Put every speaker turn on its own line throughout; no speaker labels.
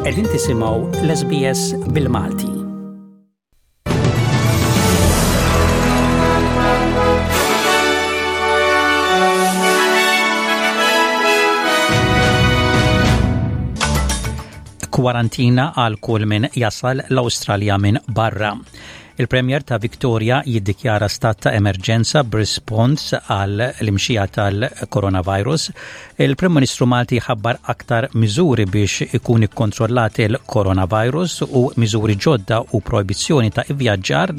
Qegħdin tisimgħu l-SBS bil-Malti. Kwarantina għal kull min jasal l-Awstralja minn barra. Il-Premier ta' Victoria jiddikjara stat ta' emerġenza b'rispons għal l-imxija tal-coronavirus. Il-Prim Ministru Malti ħabbar aktar miżuri biex ikun ikkontrollat il-coronavirus u miżuri ġodda u projbizzjoni ta' ivvjaġġar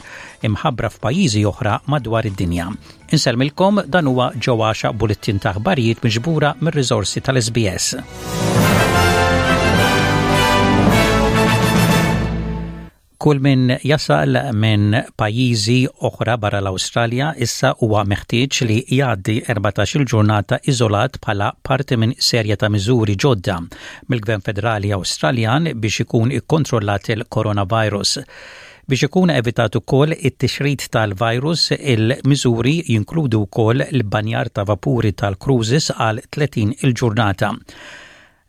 imħabbra f'pajjiżi oħra madwar id-dinja. Insellmilkom dan huwa ġewwaxa bullettin ta' aħbarijiet miġbura mir-riżorsi tal-SBS. Kull min jasal minn pajjiżi oħra barra l-Awstralja issa huwa meħtieġ li jgħaddi 14-il ġurnata iżolat bħala parti minn serje ta' miżuri ġodda mill-Gvern Federali Awstraljan biex ikun ikkontrollat il-coronavirus. Biex ikun evitat ukoll it-tixrid tal-virus, il-miżuri jinkludu wkoll l-ibbanjar ta' vapuri tal-cruises għal 30 il-ġurnata.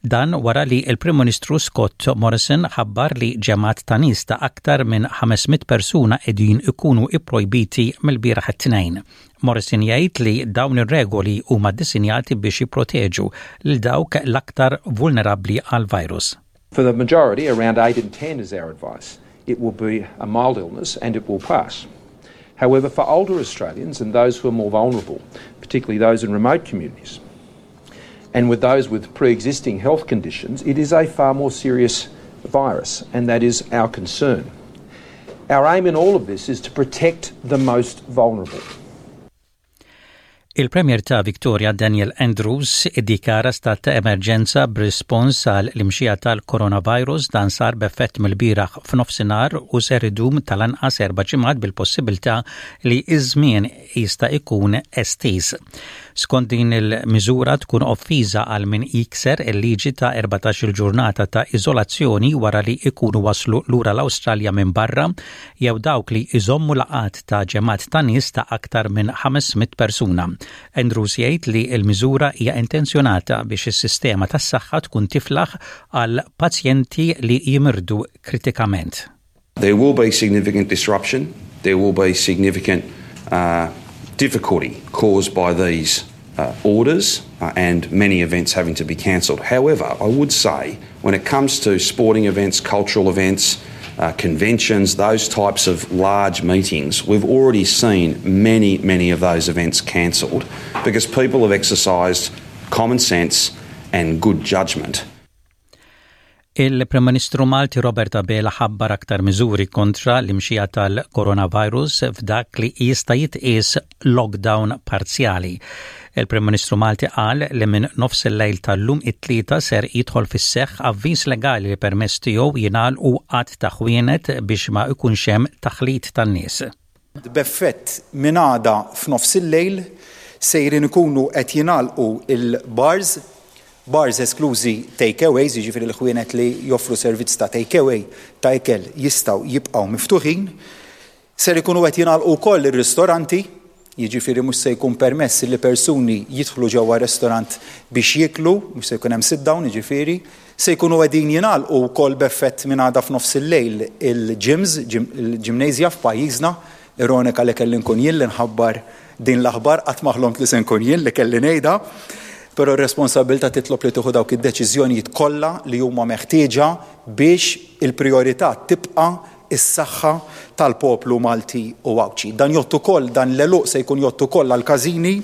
Dan wara li l-Prim Ministru Scott Morrison ħabbar li ġemgħat ta' nies ta' aktar minn 500 persuna qegħdin ikunu ipprojbiti mill-bieraħ it-Tnejn. Morrison jgħid li dawn ir-regoli huma ddisinjati biex jipproteġu lil dawk l-aktar vulnerabbli għall-virus.
For the majority, around 8 in 10 is our advice, it will be a mild illness and it will pass. However, for older Australians and those who are more vulnerable, particularly those in remote communities, and with those with pre-existing health conditions, it is a far more serious virus, and that is our concern. Our aim in all of this is to protect the most vulnerable.
Il-Premier ta' Victoria Daniel Andrews iddikjara stat ta' emerġenza b'rispons għal l-imxija tal-coronavirus dan sar b'effett mill-bieraħ f'nofsinhar u ser idum tal-anqas erba' ġimgħat bil-possibilità li ż-żmien jista' jkun estiż. Skont din il-miżura tkun offiża għal min jikser il-liġi ta' 14-il ġurnata ta' iżolazzjoni wara li jkunu waslu lura l-Awstralja minn barra jew dawk li jżommu laqgħat ta' ġemgħat ta' nies ta' aktar minn 500 persuna. Andrews jgħid li l-miżura hija intenzjonata biex is-sistema tas-saħħa tkun tiflaħ għal pazjenti li jimirdu kritikament.
There will be significant disruption, there will be significant uh, difficulty caused by these uh, orders uh, and many events having to be cancelled. However, I would say when it comes to sporting events, cultural events, uh, conventions, those types of large meetings, we've already seen many, many of those events cancelled because people have exercised common sense and good judgment.
Il-Prim Ministru Malti Robert Abela ħabbar aktar miżuri kontra l-imxija tal-coronavirus f'dak li jista' jitqies lockdown parzjali. Il-Prim Ministru Malti qal li minn nofs il-lejl tal-lum it-Tlieta ser jidħol fis-seħħ avviż legali li permezz tiegħu jingħalqu għadd ta' ħwienet biex ma jkunx hemm taħlit tan-nies.
B'effett minn għada f'nofsillejl sejrin ikunu qed jingħalqu l-bars, bars esklużi take-aways, jiġifieri l-ħwienet li joffru servizz ta' take-away ta' ikel jistgħu jibqgħu miftuħin. Ser ikunu qed jingħalqu wkoll ir-ristoranti, jiġifieri mhux se jkun permess li persuni jidħlu ġewwa restorant biex jieklu, mhux se jkun hemm sit down jiġifieri. Se jkunu qegħdin jingħalqu wkoll b'effett minn għada f'nofsillejl il-gyms, il-gymnasia f'pajjiżna. Ironika li kelli nkun jien li nħabbar din l-aħbar, qatt ma ħlomt li se nkun jien li kelli ngħidha. Però r-responsabbiltà titlob li tieħu dawk id-deċiżjonijiet kollha li huma meħtieġa biex il-prijorità tibqa' is-saħħa tal-poplu Malti u Għawdxi. Dan jgħodd ukoll, dan l-għeluq se jkun jgħodd ukoll għall-każini,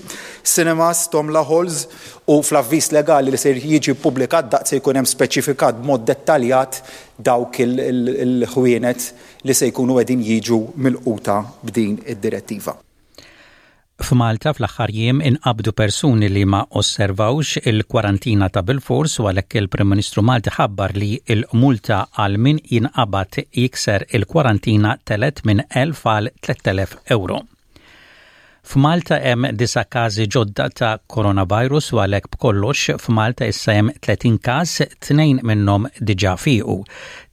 cinemas, tomla halls u fl-avviż legali li ser jiġi ppubblikat daqt se jkun hemm speċifikat b'mod dettaljat dawk il-ħwienet li se jkunu qegħdin jiġu milquta b'din id-direttiva.
F'Malta fl-aħħar jiem inqabdu persuni li ma osservawx il-kwarantina ta' bilfors u għalhekk il-Prim Ministru Malti ħabbar li l-multa għal min jinqabad jikser il-kwarantina telgħet minn 1,000 għal 3,000 ewro. F'Malta hemm disa' każi ġodda ta' coronavirus u għalhekk b'kollox f'Malta issa hemm 30 każ, tnejn minnhom diġà fiequ.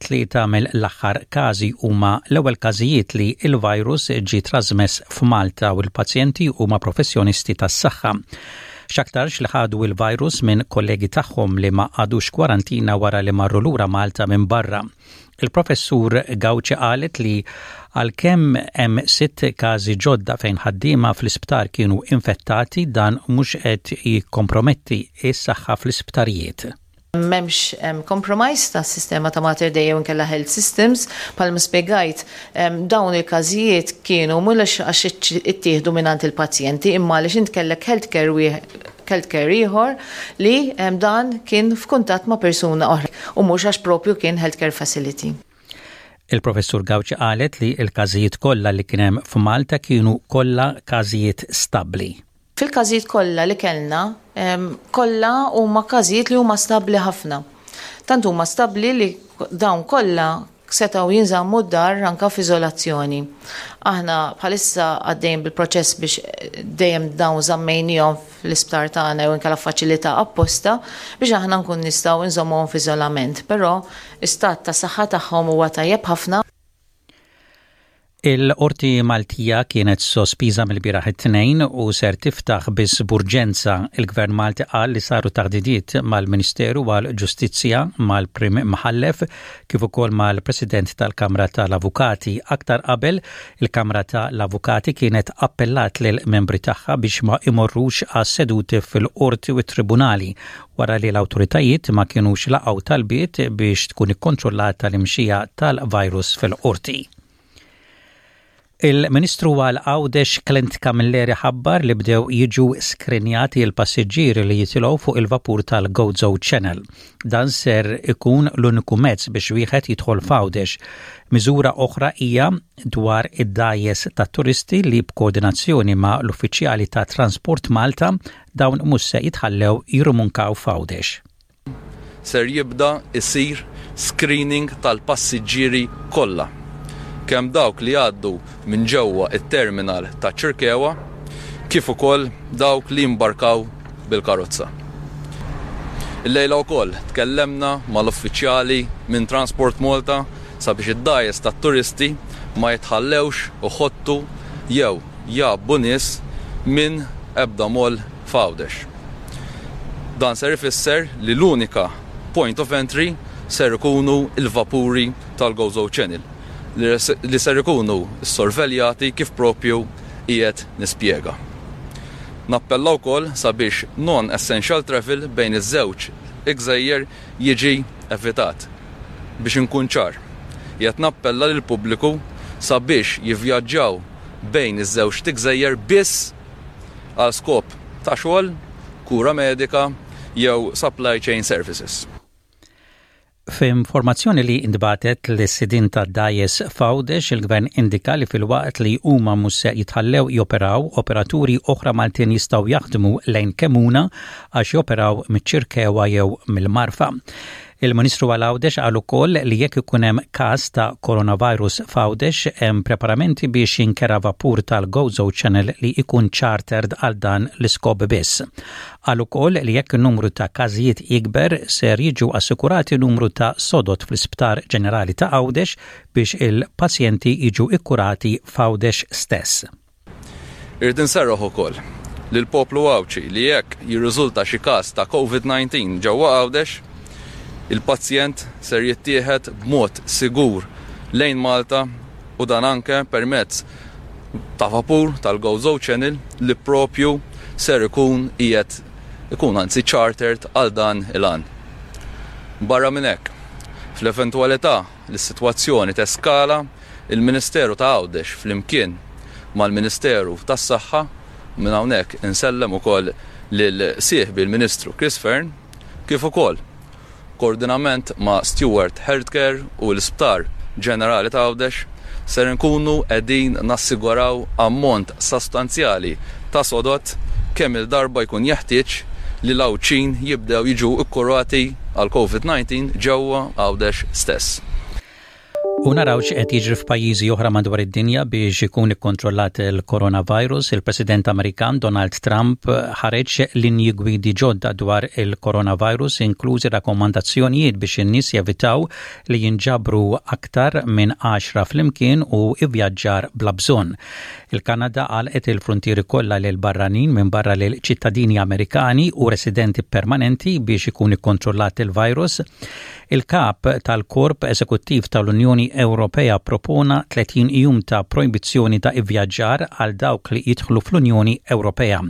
Tlieta mill-aħħar każi huma l-ewwel każijiet li l-virus ġie trasmess f'Malta u l-pazjenti huma professjonisti tas-saħħa. X'aktarx li ħadu l-virus minn kollegi tagħhom li ma qagħdux kwarantina wara li marru lura Malta minn barra. Il-Professur Gauci qalet li għalkemm hemm sitt każi ġodda fejn ħaddiema fl-isptar kienu infettati dan mhux qed jikkomprometti s-saħħa fl-isptarijiet.
M'hemmx compromise tas-sistema ta' Mater Dei jew inkella health systems. Bħalma spjegajt, dawn il-każijiet kienu mhux għax ittieħdu mingħand il-pazjenti imma għaliex int kellek healthcare healthcare ieħor li dan kien f'kuntatt ma' persuna oħra u mhux għax propju kien healthcare facility.
Il-Professur Gauci qalet li l-każijiet kollha li kien hemm f'Malta kienu kollha każijiet stabbli.
Fil-każijiet kollha li kellna, kollha huma każijiet li huma stabbli ħafna. Tant huma stabbli li dawn kollha setgħu jinżammu d-dar anka f'iżolazzjoni. Aħna bħalissa għaddejjin bil-proċess biex dejjem dawn żammejnihom fl-isptar tagħna jew inkella faċilità apposta biex aħna nkun nistgħu nżommuhom f'iżolament, però istat ta' saħħa tagħhom huwa tajjeb ħafna.
Il-Qorti Maltija kienet sospiża mill-bieraħ it-Tnejn u ser tiftaħ biss b'urġenza. Il-Gvern Malti qal li saru taħdidiet mal-Ministeru għall-Ġustizzja, mal-Prim Mħallef kif ukoll mal-President tal-Kamra tal-Avukati. Aktar qabel, il-Kamra tal-Avukati kienet appellat lill-membri tagħha biex ma imorrux għas-seduti fil-Qorti u t-Tribunali wara li l-awtoritajiet ma kinux laqgħu talbiet biex tkun ikkontrollata l-imxija tal-virus fil-qorti. Il-Ministru għal Għawdex Clint Camilleri ħabbar li bdew jiġu skrinjati l-passiġġieri li jitilgħu fuq il-vapur tal-Gozo Channel. Dan ser ikun l-uniku mezz biex wieħed jidħol f'Għawdex. Miżura oħra hija dwar id-dgħajjes tat-turisti li b'koordinazzjoni ma' l-uffiċjali ta' Transport Malta Dawn mhux se jitħallew jirrumunkaw f'Għawdex.
Ser jibda jsir screening tal-passiġġieri kollha, kemm dawk li jgħaddu minn ġewwa t-terminal taċ-Ċirkewwa kif ukoll dawk li jimbarkaw bil-karozza. Illejla wkoll tkellemna mal-uffiċjali minn Transport Malta sabiex id-dgħajjes tat-turisti ma jitħallewx iħottu jew jgħabbu nies minn ebda moll f'Għawdex. Dan ser ifisser li l-unika point of entry ser ikunu l-vapuri tal-Gozo Channel li ser ikunu ssorveljati kif propju qiegħed nispjega. Nappella wkoll sabiex non-essential travel bejn iż-żewġ gżejjer jiġi evitat. Biex inkun ċar, qiegħed nappella lill-pubbliku sabiex jivvjaġġaw bejn iż-żewġt gżejjer biss għal skop ta' xogħol, kura medika jew supply chain services.
F'informazzjoni li ntbagħtet lis-sidien tad-dgħajjes f'Għawdex, il-Gvern indika li filwaqt li huma mhux se jitħallew joperaw, operaturi oħra Maltin jistgħu jaħdmu lejn Kemmuna għax joperaw miċ-Ċirkewwa jew mill-Marfa. Il-Ministru għal Għawdex qal ukoll li jekk ikun hemm każ ta' coronavirus f'Għawdex hemm preparamenti biex jinkera vapur tal-Gozo Channel li jkun chartered għal dan l-iskop biss. Qal ukoll li jekk in-numru ta' każijiet jikber ser jiġu assikurati numru ta' sodod fl-Isptar Ġenerali ta' Għawdex biex il-pazjenti jiġu kkurati f'Għawdex stess.
Irrid inserraħ ukoll lill-poplu Għawdxi li jekk jirriżulta xi każ ta' Covid 19 ġewwa Għawdex, il-pazjent ser jittieħed b'mod sigur lejn Malta u dan anke permezz ta' vapur tal-Gozo Channel li propju ser ikun qiegħed ikun anzi chartered għal dan il-għan. Barra minn hekk, fl-eventwalità li s-sitwazzjoni teskala, Il-Ministeru ta' Għawdex flimkien mal-Ministeru tas-Saħħa, u minn hawnhekk insellem ukoll lil sieħbi l-Ministru Chris Fearne, kif ukoll koordinament ma' Steward Healthcare u l-Isptar Ġenerali ta' Għawdex, ser inkunu qegħdin nassiguraw ammont sostanzjali ta' sodod kemm-il darba jkun jeħtieġ li l-Għawdxin jibdew jiġu kkurati għall-Covid 19 ġewwa Għawdex stess.
U naraw x'qed jiġri f'pajjiżi oħra madwar id-dinja biex ikun ikkontrollat il-coronavirus. Il-President Amerikan Donald Trump ħareġ linji gwidi ġodda dwar il-coronavirus inklużi rakkomandazzjonijiet biex in-nies jevitaw li jinġabru aktar minn 10 flimkien u ivvjaġġar bla bżonn. Il-Kanada għalqet il-fruntieri kollha lil barranin minbarra lil ċittadini Amerikani u residenti permanenti biex ikun ikkontrollat il-virus. Il-kap tal-Korp Eżekuttiv tal-Unjoni Ewropea propona 30 jum ta' projbizzjoni ta' ivvjaġġar għal dawk li jidħlu fl-Unjoni Ewropea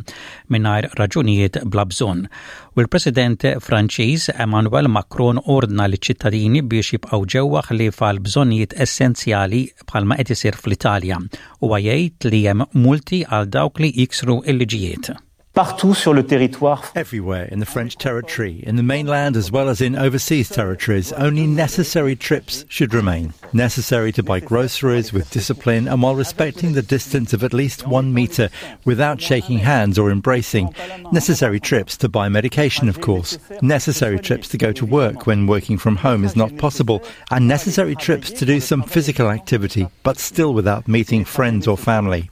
mingħajr raġunijiet bla bżonn. U l-President Franċiż Emmanuel Macron ordna liċ-ċittadini biex jibqgħu ġewwa ħlief għal bżonnijiet essenzjali bħalma qed isir fl-Italja. Huwa jgħid li hemm multi għal dawk li jiksru l-liġijiet.
Partout sur le territoire.
Everywhere in the French territory, in the mainland as well as in overseas territories, only necessary trips should remain. Necessary to buy groceries with discipline and while respecting the distance of at least one meter without shaking hands or embracing. Necessary trips to buy medication, of course. Necessary trips to go to work when working from home is not possible. And necessary trips to do some physical activity, but still without meeting friends or family.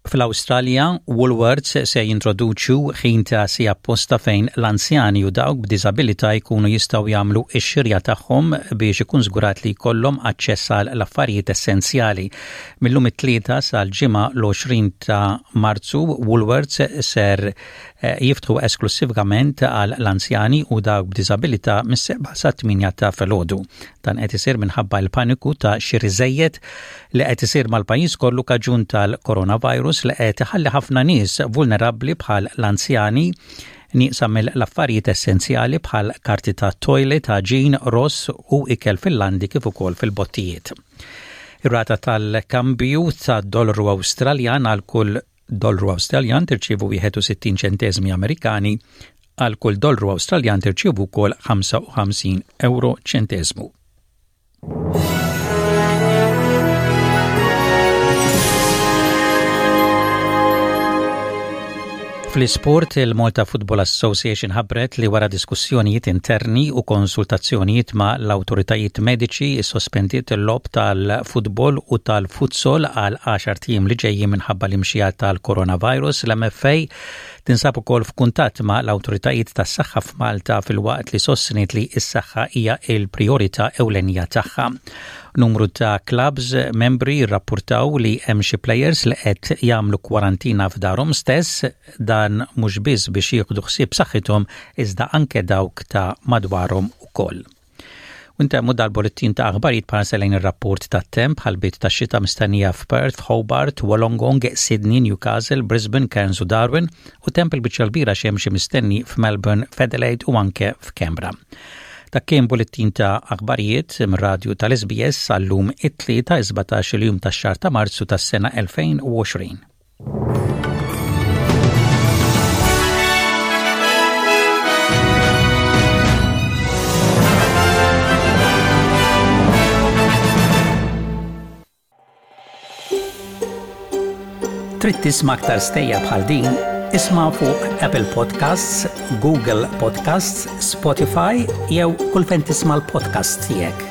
Fl-Awstralja, Woolworths se jintroduċu ħin ta' siegħa apposta fejn l-anzjani u dawk b'diżabilità jkunu jistgħu jagħmlu x-xirja tagħhom biex ikun żgurat li jkollhom aċċess għal l-affarijiet essenzjali. Mil-lum it-Tlieta sal-Ġimgħa l-20 ta' Marzu, Woolworths ser eh, jiftħu esklussivament għal l-anzjani u dawk b'diżabilità mis-seba' sat-8 ta' filgħodu. Dan qed isir minħabba l-paniku ta' xiri żejjed li qed isir mal-pajjiż kollu kaġun tal-coronavirus li qed iħalli ħafna nies vulnerabbli bħal l-anzjani nieqsa mill-affarijiet essenzjali bħal karti ta' toilet, għaġin, ross u ikel fil-landi kif ukoll fil-bottijiet. Ir-rata tal-kambju ta' dollaru Awstraljan għal kull dollaru Awstraljan tirċievu 61 ċenteżmi Amerikani, għal kull dollaru Awstraljan tirċievu wkoll 55 euro ċenteżmu. Fl-isport, il-Malta Football Association ħabbret li wara diskussjonijiet interni u konsultazzjonijiet ma' l-awtoritajiet mediċi sospendiet il-logħob tal-futbol u tal-futsal għal għaxart ijiem li ġejjin minħabba l-imxija tal-coronavirus. L-MFA tinsab ukoll f'kuntatt ma' l-awtoritajiet tas-saħħa f'Malta filwaqt li sostniet li s-saħħa hija l-prijorità ewlenija tagħha. Numru ta' clubs membri rrappurtaw li hemm xi players li qed jagħmlu kwarantina f'darhom stess, dan mhux biss biex jieħdu ħsieb saħħithom iżda anke dawk ta' madwarhom ukoll. U ntemmu dal-bullettin ta' aħbarijiet bħarsa lejn ir-rapport tat-temp ħalbiet ta' xita mistennija f'Perth, f'Hobart, Wollongong, Sydney, Newcastle, Brisbane, Cairns u Darwin u temp il-biċċa l-kbira xemxi mistenni f'Melbourne, f'Adelaide u anke f'Canberra. Dak kien bullettin ta' aħbarijiet mir-radju tal-SBS għal-lum it-Tlieta 17 il-jum tax-xahar ta' Marzu tas-sena 2020. Trid tisma' aktar stejjer bħal din? Isma' fuq Apple Podcasts, Google Podcasts, Spotify jew kull fejn tisma' l-podcasts tiegħek.